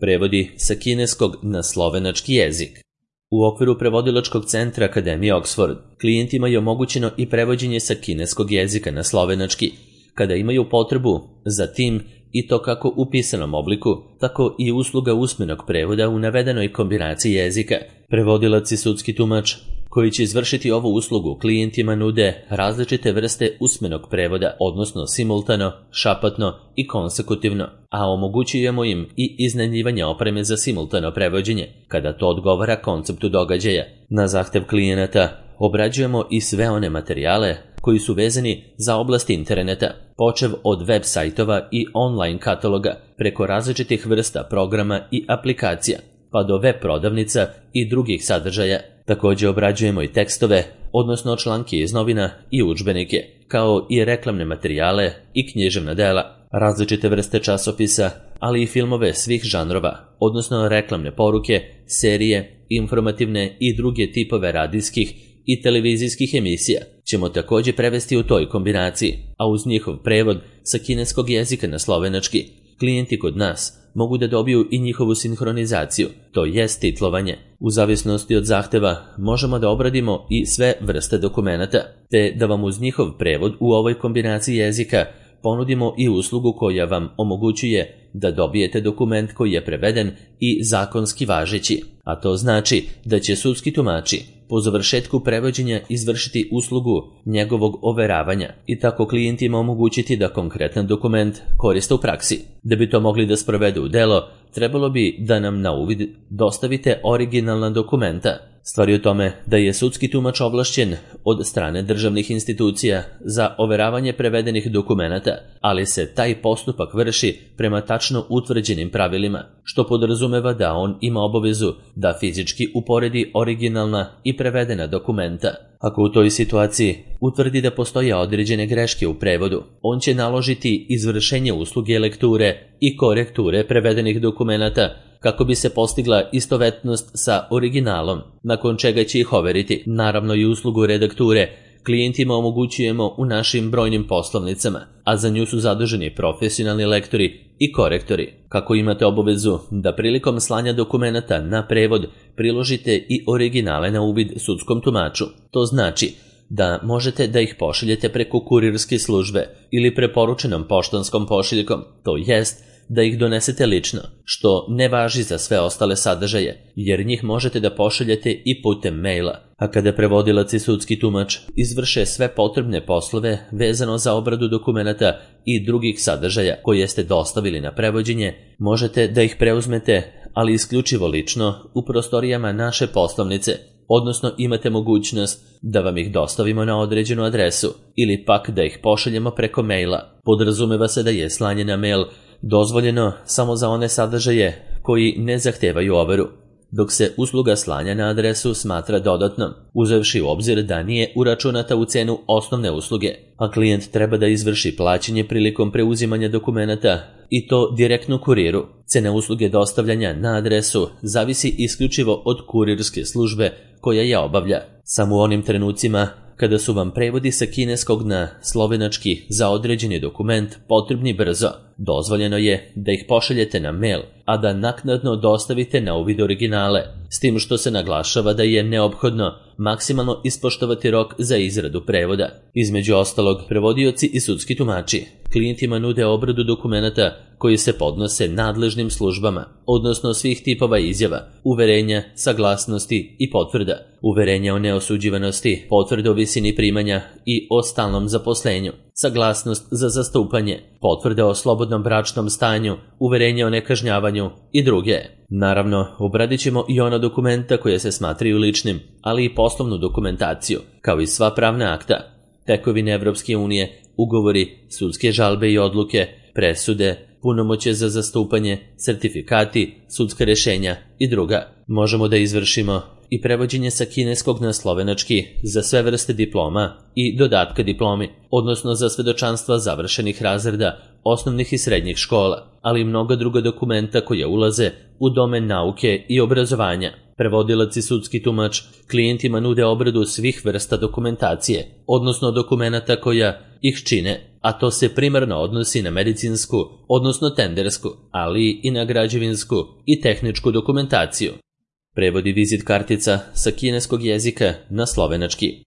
Prevodi sa kineskog na slovenački jezik. U okviru prevodilačkog centra Akademije Oxford klijentima je omogućeno i prevođenje sa kineskog jezika na slovenački, kada imaju potrebu za tim i to kako u pisanom obliku, tako i usluga usmenog prevoda u navedenoj kombinaciji jezika. Prevodilac i sudski tumač koji će izvršiti ovu uslugu klijentima nude različite vrste usmenog prevoda, odnosno simultano, šapatno i konsekutivno, a omogućujemo im i iznajmljivanje opreme za simultano prevođenje, kada to odgovara konceptu događaja. Na zahtev klijenata obrađujemo i sve one materijale koji su vezani za oblast interneta, počev od web sajtova i online kataloga, preko različitih vrsta programa i aplikacija, pa do web prodavnica i drugih sadržaja. Također obrađujemo i tekstove, odnosno članke iz novina i udžbenike, kao i reklamne materijale i književna dela, različite vrste časopisa, ali i filmove svih žanrova, odnosno reklamne poruke, serije, informativne i druge tipove radijskih i televizijskih emisija ćemo također prevesti u toj kombinaciji, a uz njihov prevod sa kineskog jezika na slovenački, klijenti kod nas mogu da dobiju i njihovu sinhronizaciju, to jest titlovanje. U zavisnosti od zahteva možemo da obradimo i sve vrste dokumenata, te da vam uz njihov prevod u ovoj kombinaciji jezika ponudimo i uslugu koja vam omogućuje da dobijete dokument koji je preveden i zakonski važeći, a to znači da će sudski tumači po završetku prevođenja izvršiti uslugu njegovog overavanja i tako klijentima omogućiti da konkretan dokument koriste u praksi. Da bi to mogli da sprovedu u delo, trebalo bi da nam na uvid dostavite originalna dokumenta. Stvar je u tome da je sudski tumač ovlašćen od strane državnih institucija za overavanje prevedenih dokumenata, ali se taj postupak vrši prema tačno utvrđenim pravilima, što podrazumeva da on ima obavezu da fizički uporedi originalna i prevedena dokumenta. Ako u toj situaciji utvrdi da postoje određene greške u prevodu, on će naložiti izvršenje usluge lekture i korekture prevedenih dokumenata kako bi se postigla istovetnost sa originalom, nakon čega će ih overiti. Naravno i uslugu redakture klijentima omogućujemo u našim brojnim poslovnicama, a za nju su zaduženi profesionalni lektori i korektori. Kako imate obavezu da prilikom slanja dokumenata na prevod priložite i originale na uvid sudskom tumaču, to znači da možete da ih pošaljete preko kurirske službe ili preporučenom poštanskom pošiljkom, to jest da ih donesete lično, što ne važi za sve ostale sadržaje, jer njih možete da pošaljete i putem maila. A kada prevodilac i sudski tumač izvrše sve potrebne poslove vezano za obradu dokumenata i drugih sadržaja koje ste dostavili na prevođenje, možete da ih preuzmete, ali isključivo lično, u prostorijama naše poslovnice, odnosno imate mogućnost da vam ih dostavimo na određenu adresu ili pak da ih pošaljemo preko maila. Podrazumeva se da je slanje na mail dozvoljeno samo za one sadržaje koji ne zahtevaju overu, dok se usluga slanja na adresu smatra dodatnom, uzevši u obzir da nije uračunata u cenu osnovne usluge, a klijent treba da izvrši plaćanje prilikom preuzimanja dokumenata i to direktno kuriru. Cena usluge dostavljanja na adresu zavisi isključivo od kurirske službe koja je obavlja. Samo u onim trenucima kada su vam prevodi sa kineskog na slovenački za određeni dokument potrebni brzo, dozvoljeno je da ih pošaljete na mail, a da naknadno dostavite na uvid originale, s tim što se naglašava da je neophodno maksimalno ispoštovati rok za izradu prevoda. Između ostalog, prevodioci i sudski tumači klijentima nude obradu dokumenata koji se podnose nadležnim službama, odnosno svih tipova izjava, uverenja, saglasnosti i potvrda, uverenja o neosuđivanosti, potvrde o visini primanja i o stalnom zaposlenju, saglasnost za zastupanje, potvrde o slobodnom bračnom stanju, uverenje o nekažnjavanju i druge. Naravno, obradit ćemo i ona dokumenta koje se smatraju ličnim, ali i poslovnu dokumentaciju, kao i sva pravna akta, tekovine Evropske unije, ugovori, sudske žalbe i odluke, presude, punomoćje za zastupanje, sertifikati, sudska rešenja i druga. Možemo da izvršimo i prevođenje sa kineskog na slovenački za sve vrste diploma i dodatka diplomi, odnosno za svedočanstva završenih razreda osnovnih i srednjih škola, ali i mnoga druga dokumenta koja ulaze u domen nauke i obrazovanja. Prevodilac i sudski tumač klijentima nude obradu svih vrsta dokumentacije, odnosno dokumenata koja ih čine, a to se primarno odnosi na medicinsku, odnosno tendersku, ali i na građevinsku i tehničku dokumentaciju. Prevodi vizit kartica sa kineskog jezika na slovenački.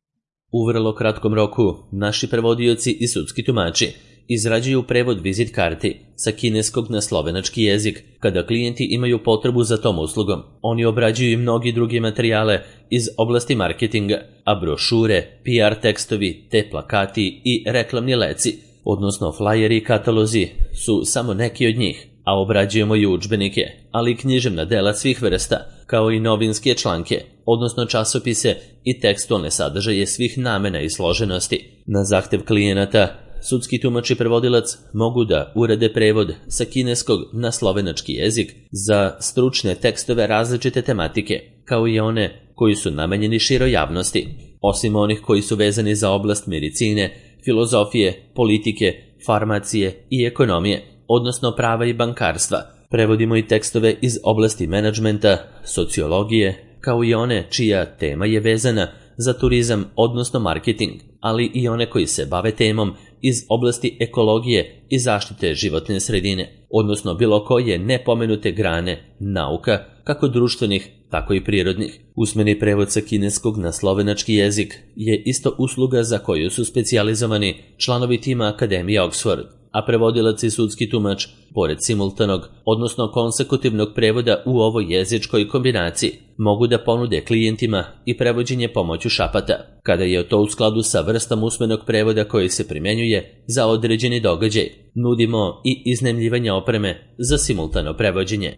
U vrlo kratkom roku naši prevodioci i sudski tumači izrađuju prevod vizit karti sa kineskog na slovenački jezik kada klijenti imaju potrebu za tom uslugom. Oni obrađuju i mnogi drugi materijale iz oblasti marketinga, a brošure, PR tekstovi, te plakati i reklamni leci, odnosno flajeri i katalozi, su samo neki od njih, a obrađujemo i udžbenike, ali i književna dela svih vrsta, kao i novinske članke, odnosno časopise i tekstualne sadržaje svih namena i složenosti. Na zahtev klijenata, sudski tumač i prevodilac mogu da urade prevod sa kineskog na slovenački jezik za stručne tekstove različite tematike, kao i one koji su namenjeni široj javnosti, osim onih koji su vezani za oblast medicine, filozofije, politike, farmacije i ekonomije, odnosno prava i bankarstva. Prevodimo i tekstove iz oblasti menadžmenta, sociologije, kao i one čija tema je vezana za turizam, odnosno marketing, ali i one koji se bave temom iz oblasti ekologije i zaštite životne sredine, odnosno bilo koje nepomenute grane nauka, kako društvenih, tako i prirodnih. Usmeni prevod sa kineskog na slovenački jezik je isto usluga za koju su specijalizovani članovi tima Akademije Oxford, a prevodilac i sudski tumač, pored simultanog, odnosno konsekutivnog prevoda u ovoj jezičkoj kombinaciji, mogu da ponude klijentima i prevođenje pomoću šapata, kada je to u skladu sa vrstom usmenog prevoda koji se primenjuje za određeni događaj. Nudimo i iznajmljivanje opreme za simultano prevođenje.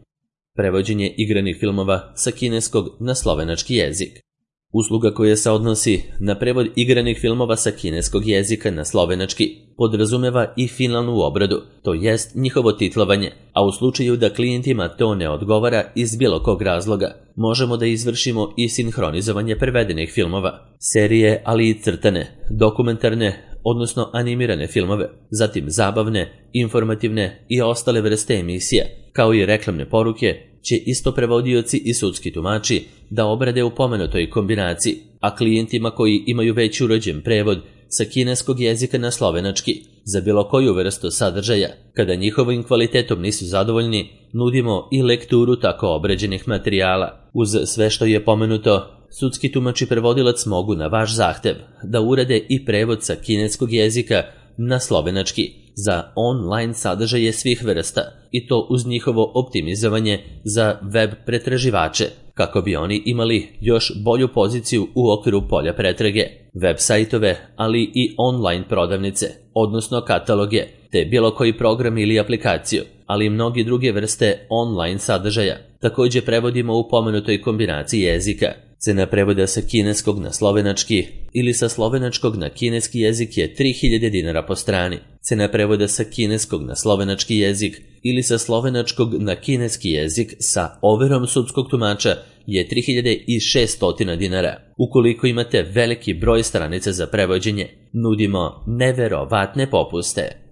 Prevođenje igranih filmova sa kineskog na slovenački jezik. Usluga koja se odnosi na prevod igranih filmova sa kineskog jezika na slovenački podrazumeva i finalnu obradu, to jest njihovo titlovanje, a u slučaju da klijentima to ne odgovara iz bilo kog razloga, možemo da izvršimo i sinhronizovanje prevedenih filmova, serije, ali i crtane, dokumentarne, odnosno animirane filmove, zatim zabavne, informativne i ostale vrste emisija, kao i reklamne poruke, će isto prevodioci i sudski tumači da obrade u pomenutoj kombinaciji, a klijentima koji imaju već urađen prevod sa kineskog jezika na slovenački za bilo koju vrstu sadržaja, kada njihovim kvalitetom nisu zadovoljni, nudimo i lekturu tako obrađenih materijala. Uz sve što je pomenuto, sudski tumač i prevodilac mogu na vaš zahtev da urade i prevod sa kineskog jezika na slovenački za online sadržaje svih vrsta, i to uz njihovo optimizovanje za web pretraživače, kako bi oni imali još bolju poziciju u okviru polja pretrage, web sajtove, ali i online prodavnice, odnosno kataloge, te bilo koji program ili aplikaciju, ali i mnogi druge vrste online sadržaja. Također prevodimo u pomenutoj kombinaciji jezika. Cena prevoda sa kineskog na slovenački ili sa slovenačkog na kineski jezik je 3000 dinara po strani. Cena prevoda sa kineskog na slovenački jezik ili sa slovenačkog na kineski jezik sa overom sudskog tumača je 3600 dinara. Ukoliko imate veliki broj stranica za prevođenje, nudimo neverovatne popuste.